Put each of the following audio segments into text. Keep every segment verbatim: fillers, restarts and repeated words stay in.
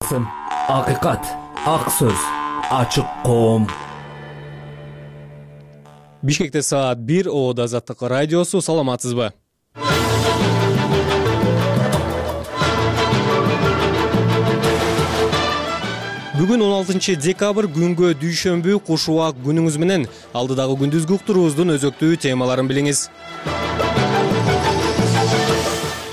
ак сын, акыйкат, ак сөз, ачык коом. Бишкекте саат бир, Оода Азаттык радиосу. Саламатсызбы? Бүгүн он алтынчы декабрь, күнгө дүйшөмбү, куш убак күнүңүз менен. Алдыдагы күндүзгү уктуруубуздун өзөктүү темаларын билиңиз.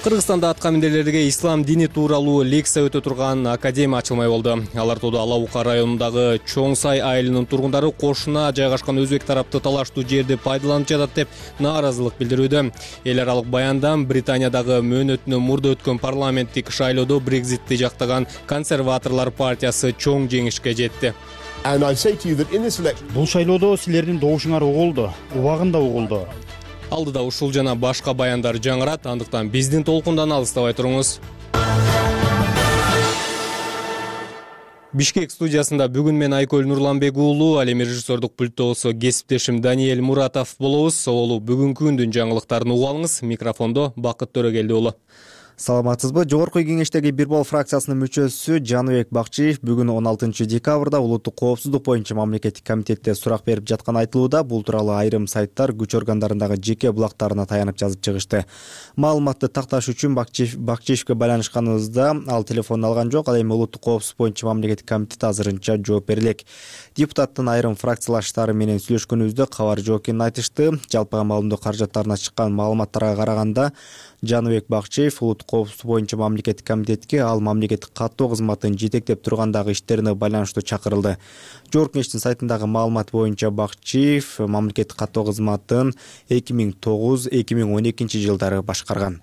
Кыргызстанда аткаминерлерге ислам дини тууралуу лекция өтө турган академия ачылмай болду. Алар Тоодо Ала Бука районундагы Чоң Сай айылынын тургундары кошуна жайгашкан өзбек тарапты талаштуу жерди пайдаланып жатат деп нааразылык билдирүүдө. Эл аралык баяндан Британиядагы мөөнөтүнөн мурда өткөн парламенттик шайлоодо Брекзитти жактаган консерваторлор партиясы чоң жеңишке жетти. Бул шайлоодо силердин добушуңар угулду, убагында угулду. Алдыда ушул жана башка баяндар жаңырат, андыктан биздин толкундан алыстабай туруңуз. Бишкек студиясында бүгүн мен Айкөл Нурланбек уулу, ал эми режиссердук пульттогусу кесиптешим Даниэль Муратов болобуз. Олу бүгүнкү күндүн жаңылыктарын угуп алыңыз. Микрофондо Бакыт Төрөгелди уулу. Саламатсызбы? Жогорку кеңештеги Бир Бол фракциясынын мүчөсү Жаныбек Бакчиев бүгүн он алтынчы декабрда улуттук коопсуздук боюнча мамлекеттик комитетте сурак берип жатканы айтылууда. Бул тууралуу айрым сайттар күч органдарындагы жеке булактарына таянып жазып чыгышты. Маалыматты такташ үчүн Бакчиев Бакчиевке байланышканыбызда ал телефон алган жок. Ал эми улуттук коопсуздук боюнча мамлекеттик комитет азырынча жооп бере элек. Депутаттын айрым фракциялаштары менен сүйлөшкөнүбүздө кабар жок экенин айтышты. Жалпы маалымдоо каражаттарына чыккан маалыматтарга караганда Жаныбек Бакчиев улуттук коопсуздук боюнча мамлекеттик комитетке ал мамлекеттик каттоо кызматын жетектеп тургандагы иштерине байланыштуу чакырылды. Жогорку кеңештин сайтындагы маалымат боюнча Бакчиев мамлекеттик каттоо кызматын эки миң тогуз эки миң он экинчи жылдары башкарган.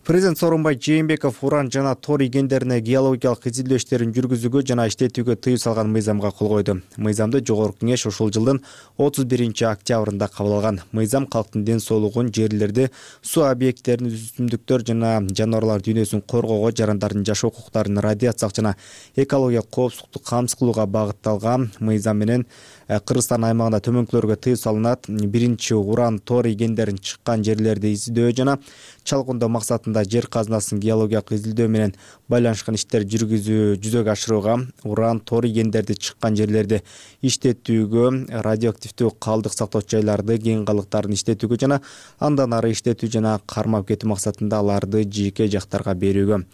Президент Сооронбай Жээнбеков уран жана тор ийгендерине геологиялык изилдөө иштерин жүргүзүүгө жана иштетүүгө тыюу салган мыйзамга кол койду. Мыйзамды жогорку кеңеш ушул жылдын отуз биринчи октябрында кабыл алган. Мыйзам калктын ден соолугун, жерлерди, суу объекттерин, өсүмдүктөр жана жаныбарлар дүйнөсүн коргоого, жарандардын жашоо укуктарын, радиациялык жана экологиялык коопсуздукту камсыз кылууга багытталган. Мыйзам менен Кыргызстан аймагында төмөнкүлөргө тыюу салынат. Биринчи уран тор ийгендерин чыккан жерлерди изилдөө жана чалгындоо максатында жер казынасын геологиялык изилдөө менен байланышкан иштер жүргүзүү жүзөгө ашырууга, уран тор ийгендерди чыккан жерлерди иштетүүгө, радиоактивдүү калдык сактоочу жайларды, кең калдыктарын иштетүүгө жана андан ары иштетүү жана кармап кетүү максатында аларды жеке жактарга берүүгө.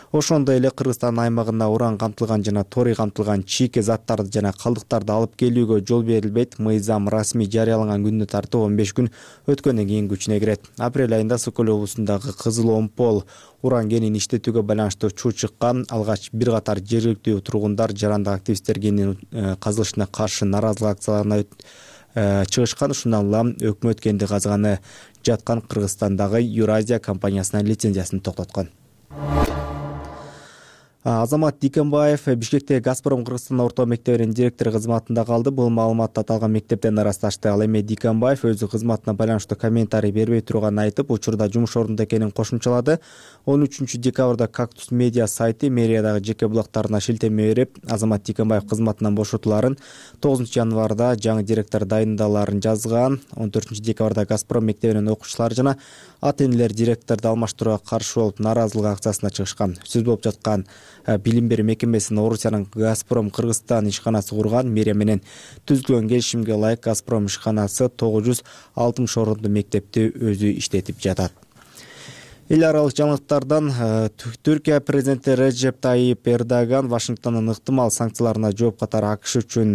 Ошондой эле Кыргызстан аймагына уран камтылган жана торий камтылган чийки заттарды жана калдыктарды алып келүүгө жол берилбейт. Мыйзам расмий жарыяланган күнүнө тартып он беш күн өткөндөн кийин күчүнө кирет. Апрель айында Сокол облусундагы Кызыл Омпол уран кенин иштетүүгө байланыштуу чуу чыккан. Алгач бир катар жергиликтүү тургундар жарандык активисттер кенин казылышына каршы нааразылык акцияларына чыгышкан. Ушундан улам өкмөт кенди казганы жаткан Кыргызстандагы Юразия компаниясынын лицензиясын токтоткон. Азамат Дикенбаев Бишкектеги Газпром Кыргызстан орто мектебинин директору кызматында калды. Бул маалыматты аталган мектептен ырасташты. Ал эми Дикенбаев өзү кызматына байланыштуу комментарий бербей турганын айтып, учурда жумуш ордунда экенин кошумчалады. он үчүнчү декабрда Кактус медиа сайты мэриядагы жеке булактарына шилтеме берип, Азамат Дикенбаев кызматынан бошотуларын, тогузунчу январда жаңы директор дайындаларын жазган. он төртүнчү декабрда Газпром мектебинин окуучулары жана ата энелер директорду алмаштырууга каршы болуп нааразылык акциясына чыгышкан. Сөз болуп жаткан билим берүү мекемесин Орусиянын Газпром Кыргызстан ишканасы курган. Мэрия менен түзүлгөн келишимге ылайык Газпром ишканасы тогуз жүз алтымыш орунду мектепти өзү иштетип жатат. Эл аралык жаңылыктардан Түркия президенти Режеп Тайип Эрдоган Вашингтондун ыктымал санкцияларына жооп катары АКШ үчүн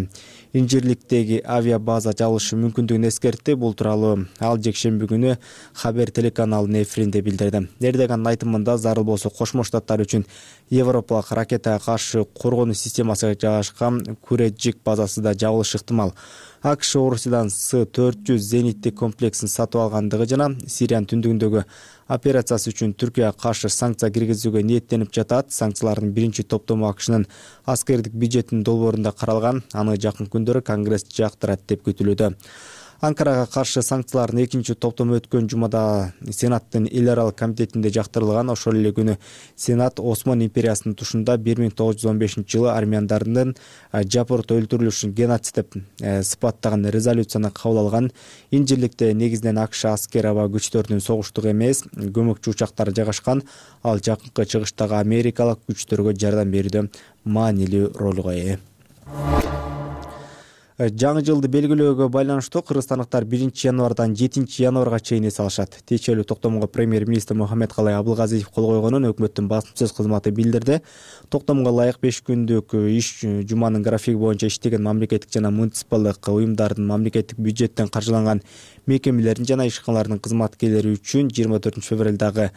Инжирликтеги авиабаза жабылышы мүмкүндүгүн эскертти. Бул тууралуу ал жекшемби күнү Хабер телеканалынын эфиринде билдирди. Эрдогандын айтымында зарыл болсо Кошмо Штаттар үчүн Европалык ракетага каршы коргонуу системасы жайгашкан Куреджик базасы да жабылышы ыктымал. АКШ Орусиядан С төрт жүз зениттик комплексин сатып алгандыгы жана Сириянын түндүгүндөгү операциясы үчүн Түркияга каршы санкция киргизүүгө ниеттенип жатат. Санкциялардын биринчи топтому АКШнын аскердик бюджетинин долбоорунда каралган. Аны жакын күндөрү Конгресс жактырат деп күтүлүүдө. Анкарага каршы санкциялардын экинчи топтому өткөн жумада Сенаттын эл аралык комитетинде жактырылган. Ошол эле күнү Сенат Осман империясынын тушунда бир миң тогуз жүз он бешинчи жылы армяндардын жапырт өлтүрүлүшүн геноцид деп сыпаттаган резолюцияны кабыл алган. Инжирликте негизинен АКШ аскер аба күчтөрүнүн согуштугу эмес, көмөкчү учактары жайгашкан. Ал жакынкы чыгыштагы америкалык күчтөргө жардам берүүдө маанилүү ролго ээ. Жаңы жылды белгилөөгө байланыштуу кыргызстандыктар биринчи январдан жетинчи январга чейин эс алышат. Тиешелүү токтомго премьер-министр Мухаммедкалай Абылгазиев кол койгонун өкмөттүн басма сөз кызматы билдирди. Токтомго ылайык беш күндүк иш жуманын графиги боюнча иштеген мамлекеттик жана муниципалдык уюмдардын мамлекеттик бюджеттен каржыланган мекемелердин жана ишканалардын кызматкерлери үчүн жыйырма төртүнчү февралдагы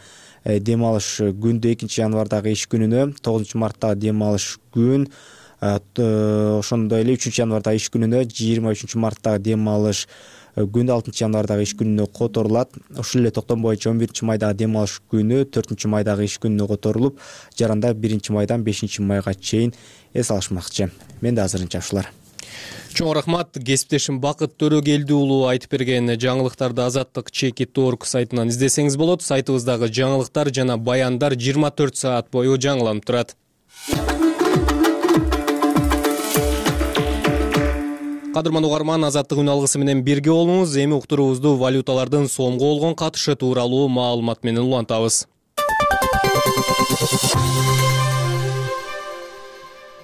дем алыш күндө, экинчи январдагы иш күнүнө, тогузунчу марттагы дем алыш күн, ошондой эле үчүнчү январда иш күнүнө, жыйырма үчүнчү марттагы дем алыш күнү, алтынчы январдагы иш күнүнө которулат. Ошол эле токтом боюнча он биринчи майдагы дем алыш күнү төртүнчү майдагы иш күнүнө которулуп, жаранда биринчи майдан бешинчи майга чейин эс алышмакчы. Менде азырынча ушулар. Чоң рахмат. Кесиптешим Бакыт Төрөгелди уулу айтып берген жаңылыктарды Азаттык чеки точка орг сайтынан издесеңиз болот. Сайтыбыздагы жаңылыктар жана баяндар жыйырма төрт саат бою жаңыланып турат. Кадырман угарман, Азаттык үн алгысы менен бирге болуңуз. Эми уктуруубузду валюталардын сомго болгон катышы тууралуу маалымат менен улантабыз.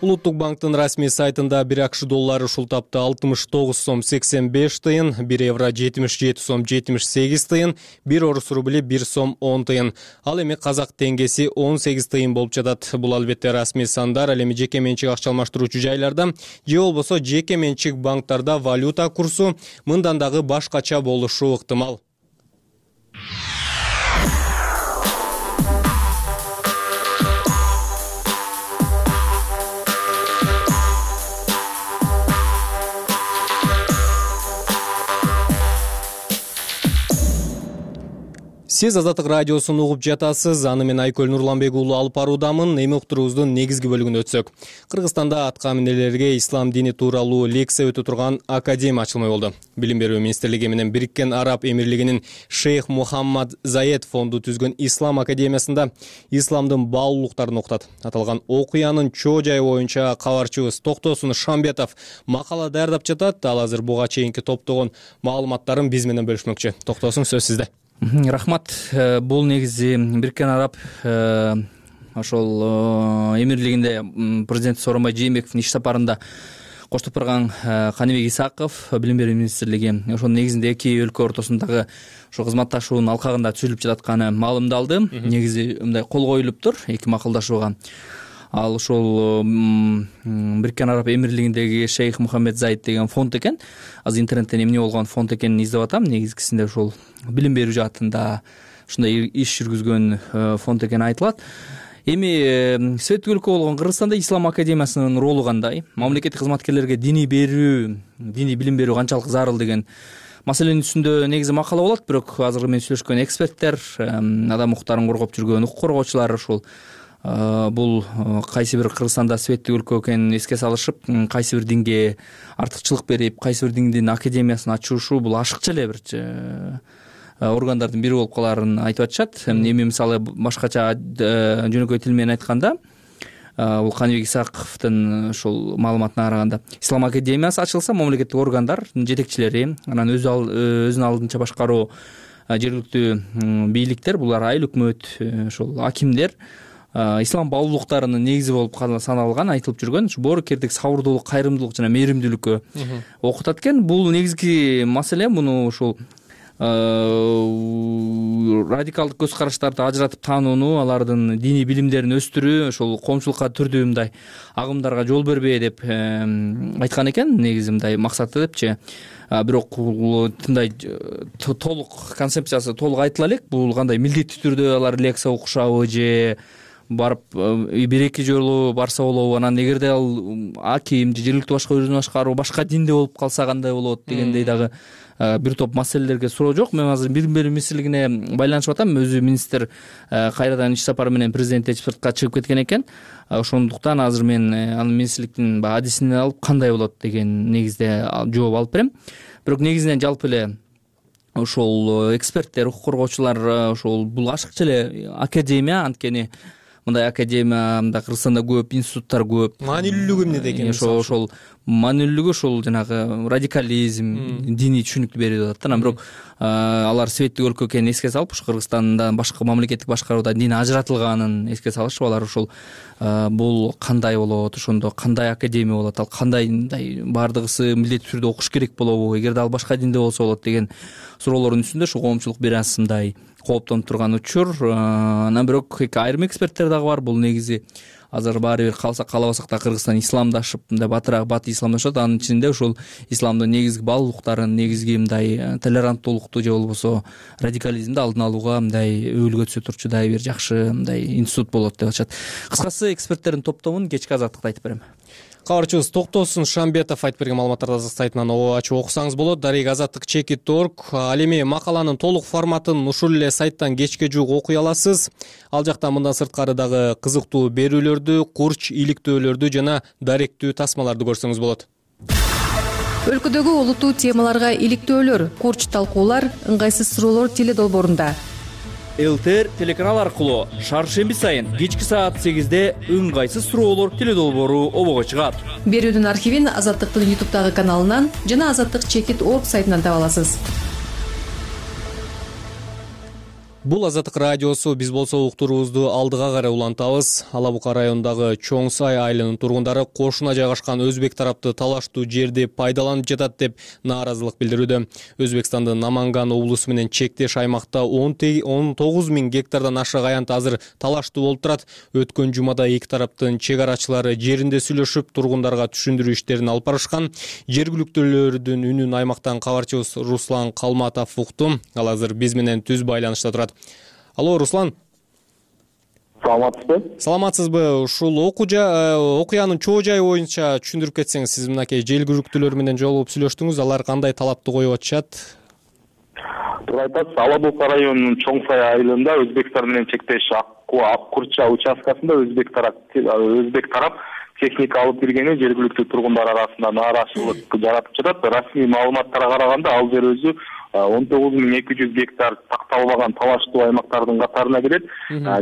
Улуттук банктын расмий сайтында бир акш доллары ушул тапта алтымыш тогуз сом сексен беш тыйын, бир евро жетимиш жети сом жетимиш сегиз тыйын, бир орус рубли бир сом он тыйын. Ал эми казак теңгеси он сегиз тыйын болуп жатат. Бул албетте расмий сандар. Ал эми жеке менчик акча алмаштыруучу жайларда же болбосо жеке менчик банктарда валюта курсу мындан дагы башкача болушу ыктымал. Сиз Азаттык радиосун угуп жатасыз. Аны мен Айкөл Нурланбек уулу алып баруудамын. Эми уктуруубуздун негизги бөлүгүнө өтсөк. Кыргызстанда атка минерлерге ислам дини тууралуу лекция өтө турган академия ачылмай болду. Билим берүү министрлиги менен Бириккен Араб Эмирлигинин Шейх Мухаммад Заед фонду түзгөн Ислам академиясында исламдын баалуулуктарын окутат. Аталган окуянын чоо жайы боюнча кабарчыбыз Токтосун Шамбетов макала даярдап жатат. Ал азыр буга чейинки топтогон маалыматтарын биз менен бөлүшмөкчү. Токтосун, сөз сизде. Рахмат. Бул негизи Бириккен Араб ошол Эмирлигинде президент Сооронбай Жээнбековдун иш сапарында коштоп барган Каныбек Исаков, Билим берүү министрлиги ошонун негизинде эки өлкө ортосундагы ошо кызматташуунун алкагында түзүлүп жататканы маалымдалды. Негизи мындай кол коюлуптур эки макулдашууга. Ал ошол Бириккен Араб Эмирлигиндеги Шейх Мухаммед Заид деген фонд экен. Азыр интернеттен эмне болгон фонд экенин издеп атам. Негизгисинде ошол билим берүү жаатында ушундай иш жүргүзгөн фонд экени айтылат. Эми светтик өлкө болгон Кыргызстанда Ислам академиясынын ролу кандай? Мамлекеттик кызматкерлерге диний берүү, диний билим берүү канчалык зарыл деген маселенин үстүндө негизи макала болот. Бирок азыр мен сүйлөшкөн эксперттер, адам укуктарын коргоп жүргөн укук коргоочулар ушул бул кайсы бир Кыргызстанда светтик өлкө экенин эске салышып, кайсы бир динге артыкчылык берип, кайсы бир диндин академиясын ачушу бул ашыкча эле бир органдардын бири болуп калаарын айтып атышат. Эми мисалы башкача жөнөкөй тил менен айтканда, бул Каныбек Исаковдун ушул маалыматына караганда, Ислам академиясы ачылса, мамлекеттик органдар жетекчилери, анан өзүнүн алдынча башкаруу жергиликтүү бийликтер, булар айыл өкмөт, ошол акимдер ислам баалуулуктарынын негизи болуп саналган, айтылып жүргөн боорукердик, сабырдуулук, кайрымдуулук жана мээримдүүлүккө окутат экен. Бул негизги маселе. Муну ушул радикалдык көз караштарды ажыратып таанууну, алардын диний билимдерин өстүрүү, ошол коомчулукка түрдүү мындай агымдарга жол бербей деп айткан экен. Негизи мындай максаты депчи. Бирок мындай толук концепциясы толук айтыла элек. Бул кандай милдеттүү түрдө алар лекция окушабы же барып бир эки жолу барса болобу, анан эгерде ал аким же жергиликтүү башка өзүн башкаруу башка динде болуп калса кандай болот дегендей дагы бир топ маселелерге суроо жок. Мен азыр билим берүү министрлигине байланышып атам. Өзү министр кайрадан иш сапары менен президентти сыртка чыгып кеткен экен. Ошондуктан азыр мен анын министрликтин баягы адисин алып кандай болот деген негизде жооп алып берем. Бирок негизинен жалпы эле ошол эксперттер, укук коргоочулар ошол бул ашыкча эле академия, анткени мындай академия Кыргызстанда көп, институттар көп. Маанилүүлүгү эмнеде экен? Ошол ошол маанилүүлүгү ошол жанагы радикализм, диний түшүнүктү берип атат да. Анан бирок алар светтик өлкө экенин эске салып, ушу Кыргызстанда башка мамлекеттик башкарууда дин ажыратылганын эске салышып, алар ошол бул кандай болот, ошондо кандай академия болот, ал кандай мындай баардыгысы милдеттүү түрдө окуш керек болобу, эгерде ал башка динде болсо болот деген суроолордун үстүндө ошо коомчулук бир аз мындай кооптонуп турган учур. Анан бирок айрым эксперттер дагы бар. Бул негизи азыр баары бир калса каалабасак да Кыргызстан исламдашып, мындай батыраак баты исламдашат. Анын ичинде ошол исламдын негизги баалуулуктарын, негизги мындай толеранттуулукту же болбосо радикализмди алдын алууга мындай өбөлгө түзө турчу дагы бир жакшы мындай институт болот деп атышат. Кыскасы эксперттердин топтомун кечки азаттыкта айтып берем. Кабарчыбыз Токтосун Шамбетов айтып берген маалыматтарды азаттык сайтынан ачып окусаңыз болот. Дарек азаттык чекит точка орг. Ал эми макаланын толук форматын ушул эле сайттан кечке жуук окуй аласыз. Ал жакта мындан сырткары дагы кызыктуу берүүлөрдү, курч, иликтөөлөрдү жана даректүү тасмаларды көрсөңүз болот. Өлкөдөгү олуттуу темаларга иликтөөлөр, курч талкуулар, ыңгайсыз суроолор теледолбоорунда. ЛТР телеканал аркылуу шаршемби сайын кечки саат сегизде ыңгайсыз суроолор теледолбоору обого чыгат. Берүүдүн архивин Азаттыктын ютубтагы каналынан жана азаттык чекит точка орг сайтынан таба аласыз. Бул Азаттык радиосу. Биз болсо уктуруубузду алдыга карай улантабыз. Ала Бука районундагы Чоң Сай айылынын тургундары кошуна жайгашкан өзбек тарапты талаштуу жерди пайдаланып жатат деп нааразылык билдирүүдө. Өзбекстандын Наманган облусу менен чектеш аймакта он тогуз миң гектардан ашык аянт азыр талаштуу болуп турат. Өткөн жумада эки тараптын чек арачылары жеринде сүйлөшүп, тургундарга түшүндүрүү иштерин алып барышкан. Жергиликтүүлөрдүн үнүн аймактан кабарчыбыз Руслан Калматов укту. Ал азыр биз менен түз байланышта турат. Алло, Руслан. Саламатсызбы? Саламатсызбы? Ушул окуянын чоо жайы боюнча түшүндүрүп кетсеңиз, сиз мынакей жергиликтүүлөр менен жолугуп сүйлөштүңүз, алар кандай талапты коюп атышат? Туура айтасыз. Ала Бука районунун Чоң Сай айылында Өзбекстан менен чектеш Аккурча участкасында өзбек тарап өзбек тарап техника алып киргени жергиликтүү тургундар арасында нааразычылык жаратып жатат. Расмий маалыматтарга караганда ал жер өзү он тогуз миң эки жүз гектар такталбаган талаштуу аймактардын катарына кирет.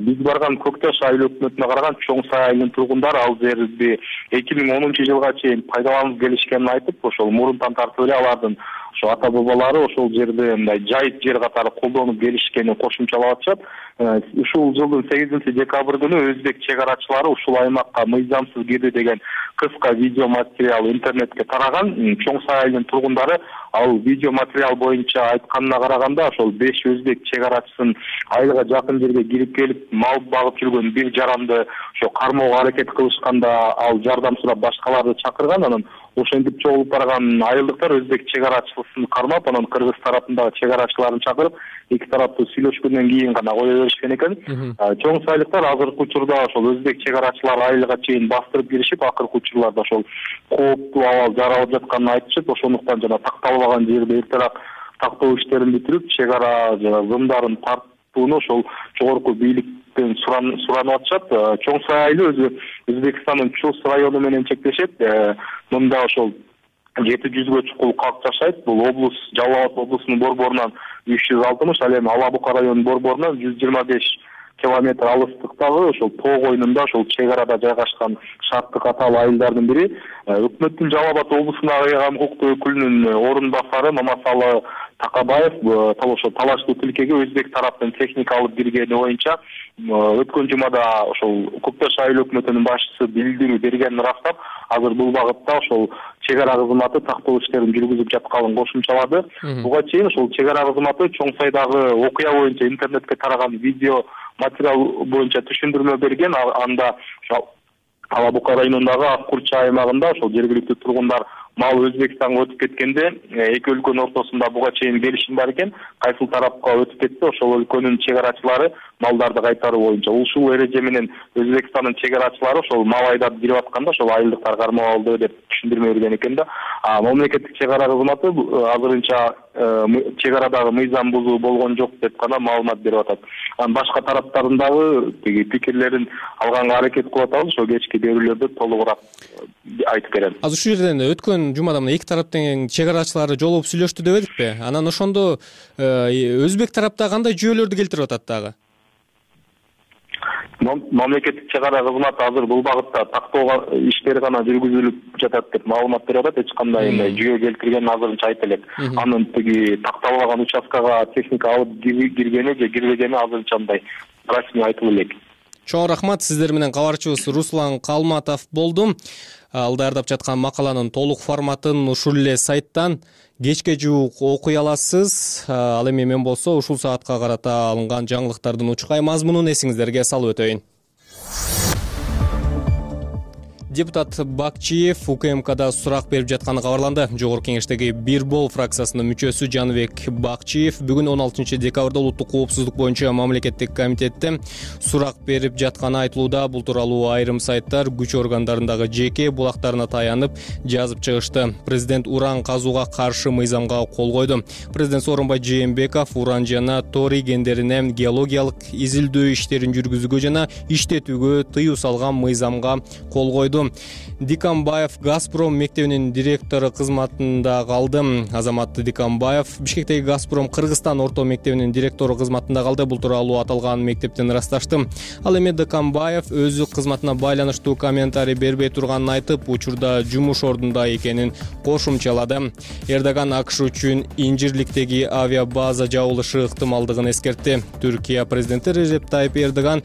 Биз барган Көкташ айыл өкмөтүнө караган Чоң Сай айылынын тургундары ал жерди эки миң онунчу жылга чейин пайдаланып келишкенин айтып, ошол мурунтан тартып эле алардын ошо ата бабалары ошол жерди мындай жайыт жер катары колдонуп келишкенин кошумчалап атышат. Ушул жылдын сегизинчи декабрь күнү өзбек чек арачылары ушул аймакка мыйзамсыз кирди деген кыска видео материал интернетке тараган. Чоң Сай айылынын тургундары ал видео материал боюнча айтканына караганда ошол беш өзбек чек арачысын айылга жакын жерге кирип келип мал багып жүргөн бир жаранды ошо кармоого аракет кылышканда ал жардам сурап башкаларды чакырган. Анан ошентип чогулуп барган айылдыктар өзбек чек арачысын кармап, анан кыргыз тарапындагы чек арачыларын чакырып, эки тараптуу сүйлөшкөндөн кийин гана кое беришкен экен. Чоң Сайлыктар азыркы учурда ошол өзбек чек арачылары айылга чейин бастырып киришип, акыркы учурларда ошол кооптуу абал жаралып жатканын айтышып, ошондуктан жана такталбаган жерде эртерээк тактоо иштерин бүтүрүп, чек ара жана зымдарын тартууну ошол жогорку бийликтен суранып атышат. Чоң Сай айылы өзү Өзбекстандын Чус району менен чектешет. Мында ошол жети жүзгө чукул калк жашайт. Бул облус Жалал Абад облусунун борборунан үч жүз алтымыш, ал эми Ала Бука районунун борборунан жүз жыйырма беш километр алыстыктагы ошол тоо койнунда ошол чек арада жайгашкан шарттуу катаал айылдардын бири. Өкмөттүн Жалал Абад облусундагы ыйгам укуктуу өкүлүнүн орун басары Мамасалы Такабаев ошо талаштуу тилкеге өзбек тараптын техника алып киргени боюнча өткөн жумада ошол Көкташ айыл өкмөтүнүн башчысы билдирүү бергенин ырастап, азыр бул багытта ошол чек ара кызматы тактоо иштерин жүргүзүп жатканын кошумчалады. Буга чейин ошол чек ара кызматы Чоң Сайдагы окуя боюнча интернетке тараган видео материал боюнча түшүндүрмө берген. Анда Ала Бука районундагы Аккурча аймагында ошол жергиликтүү тургундар мал Өзбекстанга өтүп кеткенде эки өлкөнүн ортосунда буга чейин келишим бар экен. Кайсыл тарапка өтүп кетсе, ошол өлкөнүн чек арачылары малдарды кайтаруу боюнча ушул эреже менен Өзбекстандын чек арачылары ошол мал айдап кирип атканда ошол айылдыктар кармап алды деп түшүндүрмө берген экен да. А мамлекеттик чек ара кызматы азырынча чек арадагы мыйзам бузуу болгон жок деп гана маалымат берип атат. Анан башка тараптардын дагы тиги пикирлерин алганга аракет кылып атабыз. Ошол кечки берүүлөрдө толугураак айтып берем. Азыр ушул жерден өткөн жумада мына эки тараптын чек арачылары жолугуп сүйлөштү деп эдикпи? Анан ошондо өзбек тарапта кандай жүйөлөрдү келтирип атат дагы? Мамлекеттик чек ара кызматы азыр бул багытта тактоо иштери гана жүргүзүлүп жатат деп маалымат берип атат. Эч кандай мындай жүйө келтирген азырынча айта элек. Анын тиги такталбаган участкага техника алып киргени же кирбегени азырынча мындай расмий айтылып элек. Чоң рахмат. Сиздер менен кабарчыбыз Руслан Калматов болду. Ал даярдап жаткан макаланын толук форматын ушул эле сайттан кечке жуук окуй аласыз. Ал эми мен болсо ушул саатка карата алынган жаңылыктардын учкай мазмунун эсиңиздерге салып өтөйүн. Депутат Бакчиев УКМКда сурак берип жатканы кабарланды. Жогорку кеңештеги Бир бол фракциясынын мүчөсү Жаныбек Бакчиев бүгүн он алтынчы декабрда улуттук коопсуздук боюнча мамлекеттик комитетте сурак берип жатканы айтылууда. Бул тууралуу айрым сайттар күч органдарындагы жеке булактарына таянып жазып чыгышты. Президент уран казууга каршы мыйзамга кол койду. Президент Сооронбай Жээнбеков уран жана торий кендерине геологиялык изилдөө иштерин жүргүзүүгө жана иштетүүгө тыюу салган мыйзамга кол койду. Дикамбаев Газпром мектебинин директору кызматында калды. Азамат Дикамбаев Бишкектеги Газпром Кыргызстан орто мектебинин директору кызматында калды. Бул тууралуу аталган мектептен ырасташты. Ал эми Дикамбаев өзү кызматына байланыштуу комментарий бербей турганын айтып, учурда жумуш ордунда экенин кошумчалады. Эрдоган АКШ үчүн Инжирликтеги авиабаза жабылышы ыктымалдыгын эскертти. Түркия президенти Режеп Тайип Эрдоган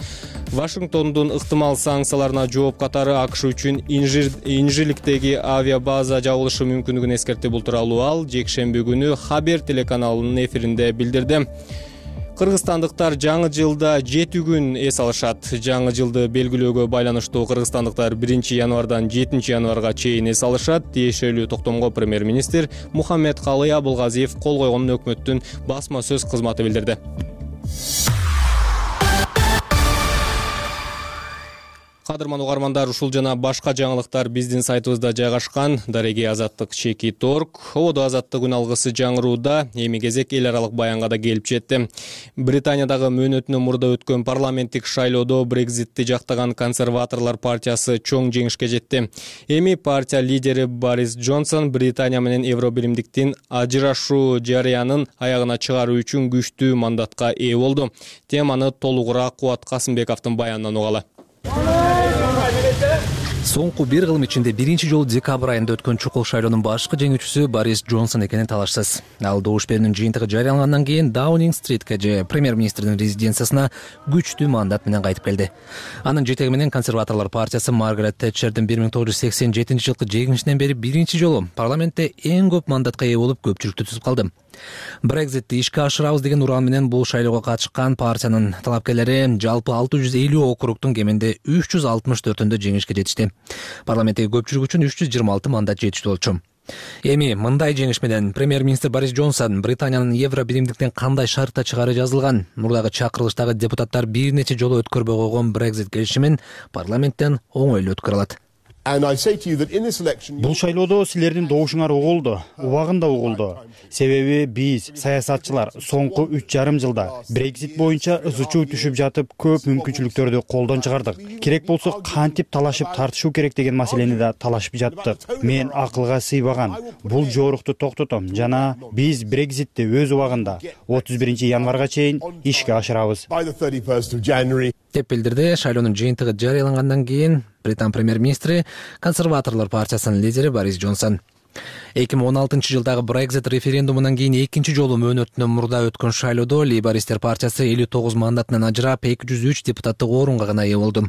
Вашингтондун ыктымал санкцияларына жооп катары АКШ үчүн Инжирликтеги авиабаза жабылышы мүмкүндүгүн эскертти. Бул тууралуу ал жекшемби күнү Хабер телеканалынын эфиринде билдирди. Кыргызстандыктар жаңы жылда жети күн эс алышат. Жаңы жылды белгилөөгө байланыштуу кыргызстандыктар биринчи январдан жетинчи январга чейин эс алышат. Тиешелүү токтомго премьер-министр Мухаммедкалый Абылгазиев кол койгонун өкмөттүн басма сөз кызматы билдирди. Кадырман угармандар, ушул жана башка жаңылыктар биздин сайтыбызда жайгашкан. Дареги Азаттык чекит точка орг. Ободо Азаттык үн алгысы жаңырууда. Эми кезек эл аралык баянга да келип жетти. Британиядагы мөөнөтүнөн мурда өткөн парламенттик шайлоодо Брекзитти жактаган консерваторлор партиясы чоң жеңишке жетти. Эми партия лидери Борис Джонсон Британия менен Евробиримдиктин ажырашуу жарыянын аягына чыгаруу үчүн күчтүү мандатка ээ болду. Теманы толугураак Кубат Касымбековдун баянынан угалы. Соңку бир кылым ичинде биринчи жолу декабрь айында өткөн чукул шайлоонун башкы жеңүүчүсү Борис Джонсон экени талашсыз. Ал добуш берүүнүн жыйынтыгы жарыялангандан кийин Даунинг-стритке же премьер-министрдин резиденциясына күчтүү мандат менен кайтып келди. Анын жетеги менен консерваторлор партиясы Маргарет Тэтчердин бир миң тогуз жүз сексен жетинчи жылкы жеңишинен бери биринчи жолу парламентте эң көп мандатка ээ болуп көпчүлүктү түзүп калды. Брекзитти ишке ашырабыз деген уран менен бул шайлоого катышкан партиянын талапкерлери жалпы алты жүз элүү округдун кеминде үч жүз алтымыш төртүндө жеңишке жетишти. Парламенттеги көпчүлүк үчүн үч жүз жыйырма алты мандат жетиштүү болчу. Эми мындай жеңиш менен премьер-министр Борис Джонсон Британиянын Евробиримдиктен кандай шартта чыгаары жазылган, мурдагы чакырылыштагы депутаттар бир нече жолу өткөрбөй койгон Брекзит келишимин парламенттен оңойлуу өткөрө алат. Бул шайлоодо силердин добушуңар угулду, убагында угулду. Себеби биз саясатчылар соңку үч жарым жылда Брекзит боюнча ыз чуу түшүп жатып көп мүмкүнчүлүктөрдү колдон чыгардык. Керек болсо кантип талашып тартышуу керек деген маселени да талашып жаттык. Мен акылга сыйбаган бул жорукту токтотом жана биз Брекзитти өз убагында отуз биринчи январга чейин ишке ашырабыз деп билдирди. Шайлоонун жыйынтыгы жарыялангандан кийин Британ премьер-министри консерваторлор партиясынын лидери Борис Джонсон. эки миң он алтынчы жылдагы Брекзит референдумунан кийин экинчи жолу мөөнөтүнөн мурда өткөн шайлоодо лейбористтер партиясы элүү тогуз мандатынан ажырап эки жүз үч депутаттык орунга гана ээ болду.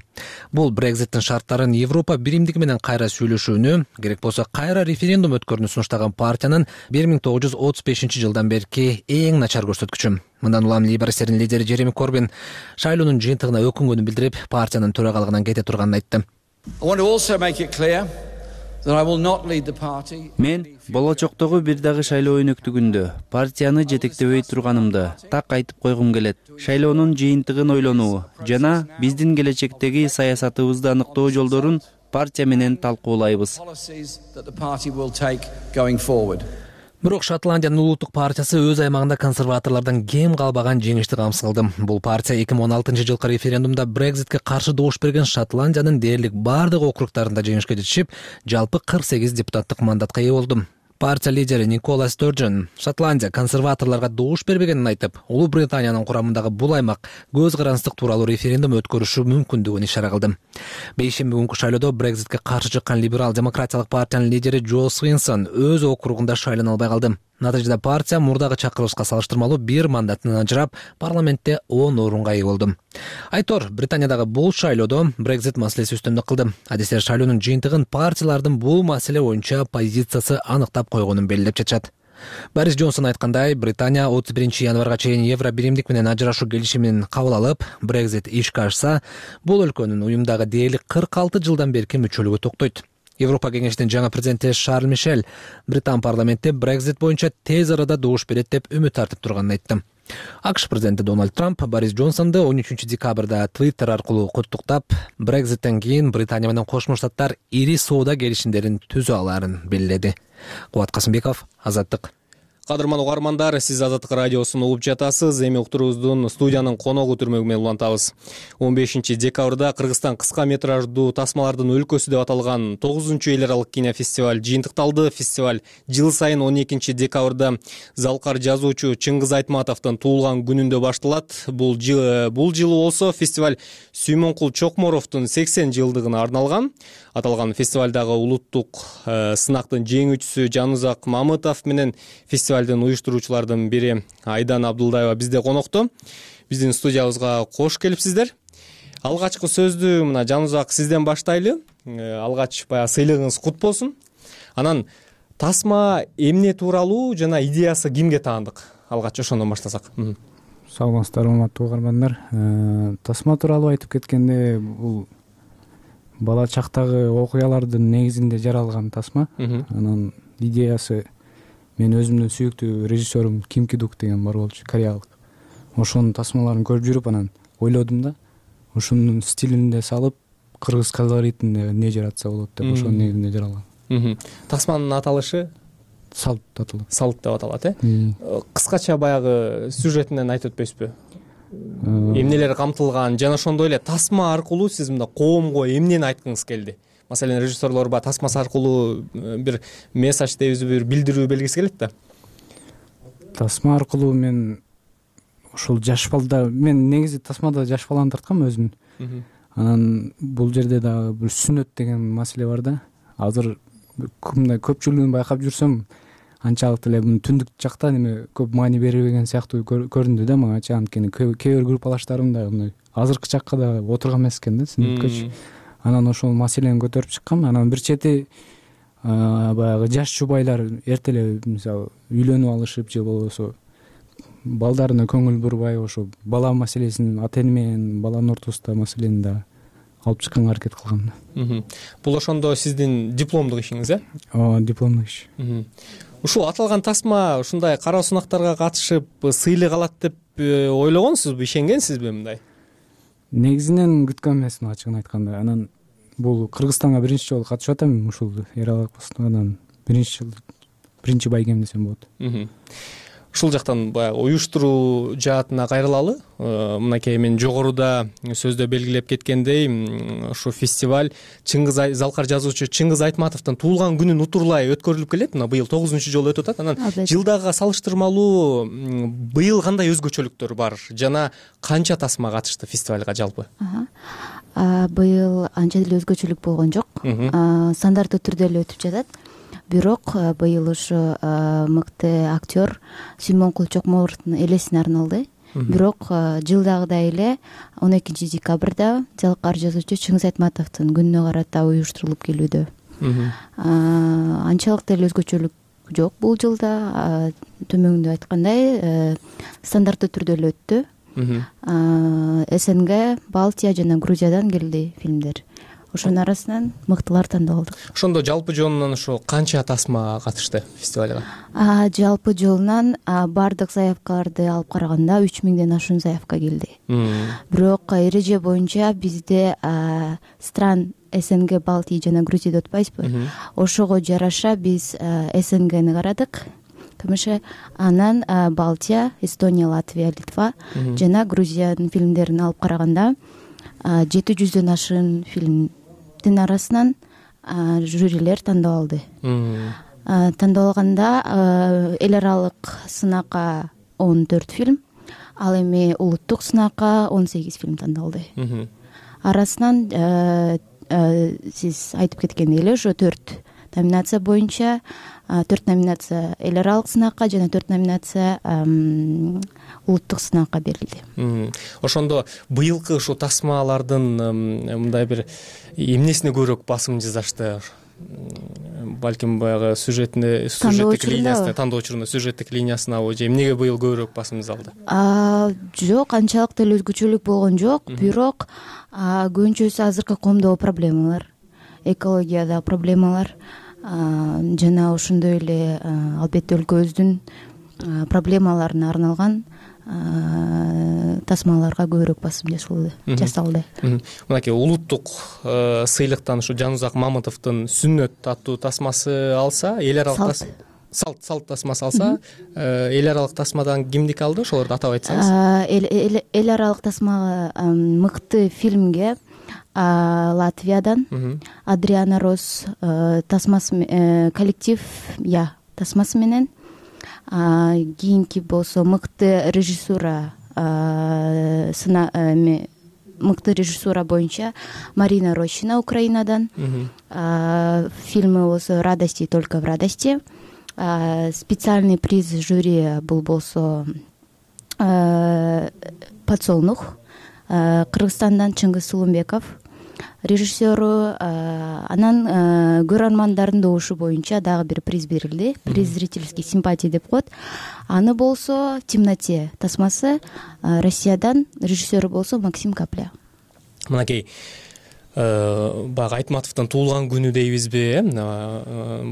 Бул Брекзиттин шарттарын Европа биримдиги менен кайра сүйлөшүүнү, керек болсо кайра референдум өткөрүүнү сунуштаган партиянын бир миң тогуз жүз отуз бешинчи жылдан берки эң начар көрсөткүчү. Мындан улам лейбористтердин лидери Джереми Корбин шайлоонун жыйынтыгына өкүнгөнүн билдирип, партиянын төрагалыгынан кете турганын айтты. Мен болочоктогу бир дагы шайлоо өнөктүгүндө партияны жетектебей турганымды так айтып койгум келет. Шайлоонун жыйынтыгын ойлонуу жана биздин келечектеги саясатыбызды аныктоо жолдорун партия менен талкуулайбыз. Бирок Шотландиянын улуттук партиясы өз аймагында консерваторлордон кем калбаган жеңишти камсыз кылды. Бул партия эки миң он алтынчы жылкы референдумда Брекзитке каршы добуш берген Шотландиянын дээрлик бардык округдарында жеңишке жетишип, жалпы кырк сегиз депутаттык мандатка ээ болду. Партия лидери Никола Сторджен Шотландия консерваторлорго добуш бербегенин айтып, Улуу Британиянын курамындагы бул аймак көз карандык тууралуу референдум өткөрүшү мүмкүндүгүн ишара кылды. Бейшемби күнкү шайлоодо Брекзитке каршы чыккан либерал-демократиялык партиянын лидери Джо Свинсон өз округунда шайлана албай калды. Натыйжада партия мурдагы чакырылышка салыштырмалуу бир мандатынан ажырап, парламентте он орунга ээ болду. Айтор, Британиядагы бул шайлоодо Брекзит маселеси үстөмдүк кылды. Адистер шайлоонун жыйынтыгын партиялардын бул маселе боюнча позициясы аныктап койгонун белгилеп жатышат. Борис Джонсон айткандай, Британия отуз биринчи январга чейин Евро биримдик менен ажырашуу келишимин кабыл алып, Брекзит ишке ашса, бул өлкөнүн уюмдагы дээрлик кырк алты жылдан берки мүчөлүгү токтойт. Европа кеңешинин жаңы президенти Шарль Мишель Британ парламентте Брекзит боюнча тез арада добуш берет деп үмүт артып турганын айтты. АКШ президенти Дональд Трамп Борис Джонсонду он үчүнчү декабрда Твиттер аркылуу куттуктап, Брекзиттен кийин Британия менен Кошмо Штаттар ири соода келишимдерин түзө алаарын белгиледи. Кубат Касымбеков, Азаттык. Кадырман угармандар, сиз Азаттык радиосун угуп жатасыз. Эми уктуруубуздун студиянын коногу түрмөгү менен улантабыз. он бешинчи декабрда Кыргызстан кыска метраждуу тасмалардын өлкөсү деп аталган тогузунчу эл аралык кинофестиваль жыйынтыкталды. Фестиваль жыл сайын он экинчи декабрда залкар жазуучу Чыңгыз Айтматовдун туулган күнүндө башталат. Бул жыл бул жылы болсо фестиваль Сүймөнкул Чокморовдун сексен жылдыгына арналган. Аталган фестивалдагы улуттук э, сынактын жеңүүчүсү Жанузак Мамытов менен фестивалдын уюштуруучулардын бири Айдан Абдулдаева бизде конокто. Биздин студиябызга кош келипсиздер. Алгачкы сөздү мына Жанузак сизден баштайлы. Э, алгач баягы сыйлыгыңыз кут болсун. Анан тасма эмне тууралуу жана идеясы кимге таандык? Алгач ошондон баштасак. Саламатсыздар, урматтуу угармандар. Э, тасма тууралуу айтып кеткенде, бул бала чактагы окуялардын негизинде жаралган тасма. Анан идеясы мен өзүмдүн сүйүктүү режиссерум Ким Ки Дук деген бар болчу, кореялык. Ошонун тасмаларын көрүп жүрүп, анан ойлодум да, ошонун стилинде салып, кыргыз колоритинде эмне жаратса болот деп, ошонун негизинде жаралган. Тасманын аталышы Салт аталат. Салт деп аталат, э? Кыскача баягы сюжетинен айтып өтпөйсүзбү? Эмнелер камтылган жана ошондой эле тасма аркылуу сиз мында коомго эмнени айткыңыз келди? Маселен, режиссерлор ба тасмасы аркылуу бир месседж дейбизби, бир билдирүү белгиси келет да. Тасма аркылуу мен ушул жаш балдар, мен негизи тасмада жаш баланы тарткам өзүм. Анан бул жерде дагы бир сүннөт деген маселе бар да. Азыр мындай көпчүлүгүн байкап жүрсөм, анчалык эле муну түндүк жакта неме көп маани бербеген сыяктуу көрүндү да мага. Анткени кээ бир группалаштарым да мындай азыркы чакка да отурган эмес экен да сүннөткөчү. Анан ошол маселени көтөрүп чыккам. Анан бир чети баягы жаш жубайлар эрте эле мисалы үйлөнүп алышып же болбосо балдарына көңүл бурбай ошо бала маселесин, ата эне менен баланын ортосундагы маселени да алып чыкканга аракет кылгам. Бул ошондо сиздин дипломдук ишиңиз, э? Ооба, дипломдук иш. Ушул аталган тасма ушундай кароо сунактарга катышып сыйлык алат деп ойлогонсузбу, ишенгенсизби мындай? Негизинен күткөн эмесмин, ачыгын айтканда. Анан бул Кыргызстанга биринчи жолу катышып атам ушул эралык постунан. Биринчи жыл биринчи байгем десем болот. Ушул жактан баягы уюштуруу жаатына кайрылалы. Мынакей мен жогоруда сөздө белгилеп кеткендей, ушу фестиваль Чыңгыз залкар жазуучу Чыңгыз Айтматовдун туулган күнүн утурлай өткөрүлүп келет. Мына быйыл тогузунчу жолу өтүп атат. Анан жылдагыга салыштырмалуу быйыл кандай өзгөчөлүктөр бар жана канча тасма катышты фестивалга жалпы? Быйыл анча деле өзгөчөлүк болгон жок. Стандартты түрдө эле өтүп жатат. Бирок быйыл ушу мыкты актер Сүймөнкул Чокморовдун элесине арналды. Бирок жылдагыдай эле он экинчи декабрда залкар жазуучу Чыңгыз Айтматовдун күнүнө карата уюштурулуп келүүдө. Анчалык деле өзгөчөлүк жок бул жылда. Төмөңүндө айткандай, стандартты түрдө эле өттү. СНГ, Балтия жана Грузиядан келди фильмдер. ошонун арасынан мыктылар тандап алдык. Ошондо жалпы жонунан ошо канча тасма катышты фестивалга? Жалпы жолунан баардык заявкаларды алып караганда үч миңден ашуун заявка келди. Бирок эреже боюнча бизде стран СНГ, Балтия жана Грузия деп атпайбызбы? Ошого жараша биз СНГни карадык. КМШ анан Балтия, Эстония, Латвия, Литва жана Грузиянын фильмдерин алып караганда жети жүздөн ашуун фильмдин арасынан жюрилер тандап алды. Тандап алганда эл аралык сынакка он төрт фильм, ал эми улуттук сынакка он сегиз фильм тандалды. Арасынан сиз айтып кеткендей эле ошо төрт номинация боюнча төрт номинация эл аралык сынакка жана төрт номинация улуттук сынакка берилди. Ошондо быйылкы ушул тасмалардын мындай бир эмнесине көбүрөөк басым жасашты? Балким баягы сюжетине, сюжеттик линиясына, тандоочуруна, сюжеттик линиясынабы же эмнеге быйыл көбүрөөк басым жасалды? Жок, анчалык деле өзгөчөлүк болгон жок, бирок көбүнчөсү азыркы коомдогу проблемалар, экологиядагы проблемалар жана ошондой эле албетте өлкөбүздүн проблемаларына арналган тасмаларга көбүрөөк басым жасалды. Мынакей улуттук сыйлыктан ушу Жанузак Мамытовдун Сүннөт аттуу тасмасы алса, эл аралык салт салт тасмасы алса, эл аралык тасмадан кимдики алды? Ошолорду атап айтсаңыз. Эл аралык тасмага мыкты фильмге Латвиядан Адриана Рос тасмасы, коллектив я тасмасы менен, кийинки болсо мыкты режиссура мыкты режиссура боюнча Марина Рощина Украинадан, фильмы болсо «Радости только в радости». Специальный приз жюри бул болсо «Подсолнух», Кыргызстандан Чыңгыз Сулумбеков режиссеру. Анан көрөрмандардын добушу боюнча дагы бир приз берилди. Приз зрительский симпатии деп коет. Аны болсо «В темноте» тасмасы Россиядан, режиссеру болсо Максим Капля. Мынакей баягы Айтматовдун туулган күнү дейбизби?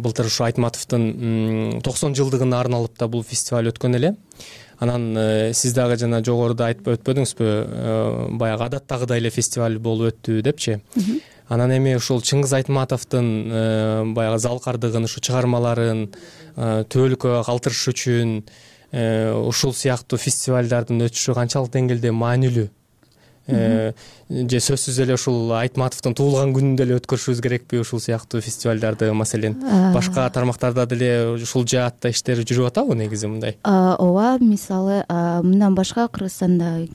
Былтыр ушу Айтматовдун токсон жылдыгына арналып да бул фестиваль өткөн эле. Анан сиз дагы жана жогоруда айтып өтпөдүңүзбү, баягы адаттагыдай эле фестиваль болуп өттү депчи. Анан эми ушул Чыңгыз Айтматовдун баягы залкардыгын, ушу чыгармаларын төбөлүккө калтырыш үчүн ушул сыяктуу фестивалдардын өтүшү канчалык деңгээлде маанилүү? Же сөзсүз эле ушул Айтматовдун туулган күнүндө эле өткөрүшүбүз керекпи ушул сыяктуу фестивалдарды? Маселен, башка тармактарда деле ушул жаатта иштер жүрүп атабы негизи мындай? Ооба, мисалы мындан башка Кыргызстанда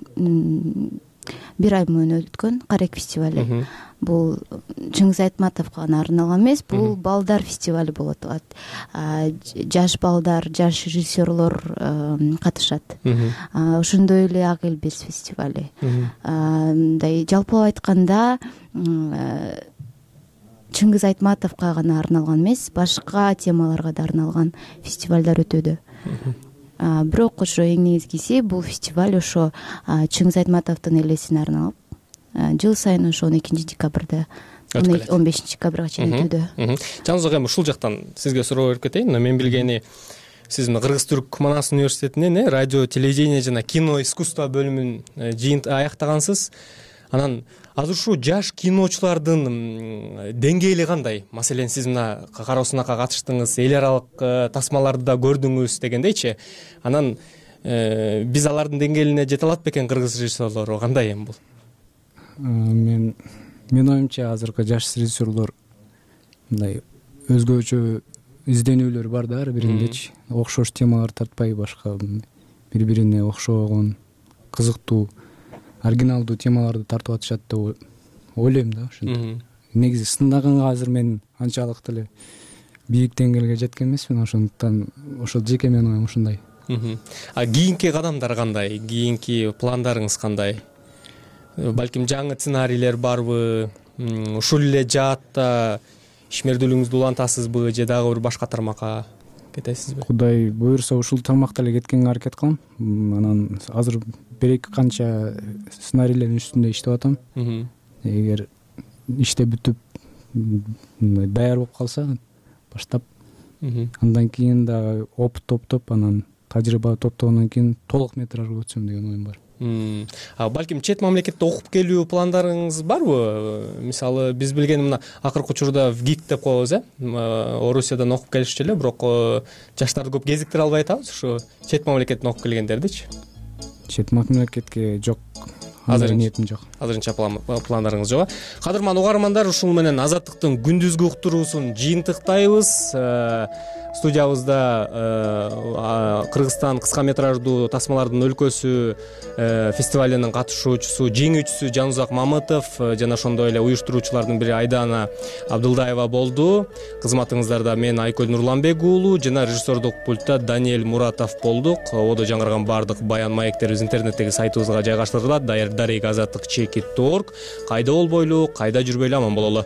бир ай мурун өткөн Карек фестивали. Бул Чыңгыз Айтматовго гана арналган эмес, бул балдар фестивали болот атат. Жаш балдар, жаш режиссерлор катышат. Ошондой эле Ак Элбес фестивали. Мындай жалпылап айтканда Чыңгыз Айтматовго гана арналган эмес, башка темаларга да арналган фестивалдар өтөдү. Бирок ошо эң негизгиси бул фестиваль ошо Чыңгыз Айтматовдун элесине арналып, жыл сайын ошо он экинчи декабрда, он бешинчи декабрга чейин өтөдү. Жанузак эми ушул жактан сизге суроо берип кетейин. Мен билгени, сиз Кыргыз-Түрк Манас университетинен радио, телевидение жана кино искусство бөлүмүн жыйынтыгын аяктагансыз. Анан азыр ушул жаш киночулардын деңгээли кандай? Маселен, сиз мына кароо сынакка катыштыңыз, эл аралык тасмаларды да көрдүңүз дегендейчи. Анан биз алардын деңгээлине жете алат бекен кыргыз режиссерлору? Кандай эми бул? Мен менин оюмча азыркы жаш режиссерлор мындай өзгөчө изденүүлөр бар да ар бириндечи. Окшош темалар тартпай, башка бири-бирине окшогон, кызыктуу, оригиналдуу темаларды тартып атышат деп ойлойм да. Ошентип негизи сынаганга азыр мен анчалык деле бийик деңгээлге жеткен эмесмин, ошондуктан ошол жеке менин оюм ушундай. А кийинки кадамдар кандай? Кийинки пландарыңыз кандай? Балким жаңы сценарийлер барбы? Ушул эле жаатта ишмердүүлүгүңүздү улантасызбы же дагы бир башка тармакка кетесизби? Кудай буюрса ушул тармакта эле кеткенге аракет кылам. Анан азыр бир эки канча сценарийлердин үстүндө иштеп атам. Эгер иште бүтүп даяр болуп калса баштап андан кийин дагы опыт топтоп анан тажрыйба топтогондон кийин толук метражга өтсөм деген оюм бар. Балким чет мамлекетте окуп келүү пландарыңыз барбы? Мисалы биз билген мына акыркы учурда ВГИК деп коебуз, э? Орусиядан окуп келишчү эле, бирок жаштарды көп кезиктире албай атабыз. Ушу чет мамлекеттен окуп келгендердичи? Чет мамлекетке жок. Азыр ниетим жок. Азырынча пландарыңыз жок. Кадырман угармандар, ушул менен Азаттыктын күндүзгү уктуруусун жыйынтыктайбыз. Студиябызда Кыргызстан кыска метраждуу тасмалардын өлкөсү фестивалынын катышуучусу, жеңүүчүсү Жанузак Мамытов жана ошондой эле уюштуруучулардын бири Айдана Абдылдаева болду. Кызматыңыздарда мен Айкөл Нурланбек уулу жана режиссердук пультта Даниэль Муратов болдук. Ободо жаңырган баардык баян маектерибиз интернеттеги сайтыбызга жайгаштырылат. Дарек азаттык чекит точка орг. Кайда болбойлу, кайда жүрбөйлү аман бололу.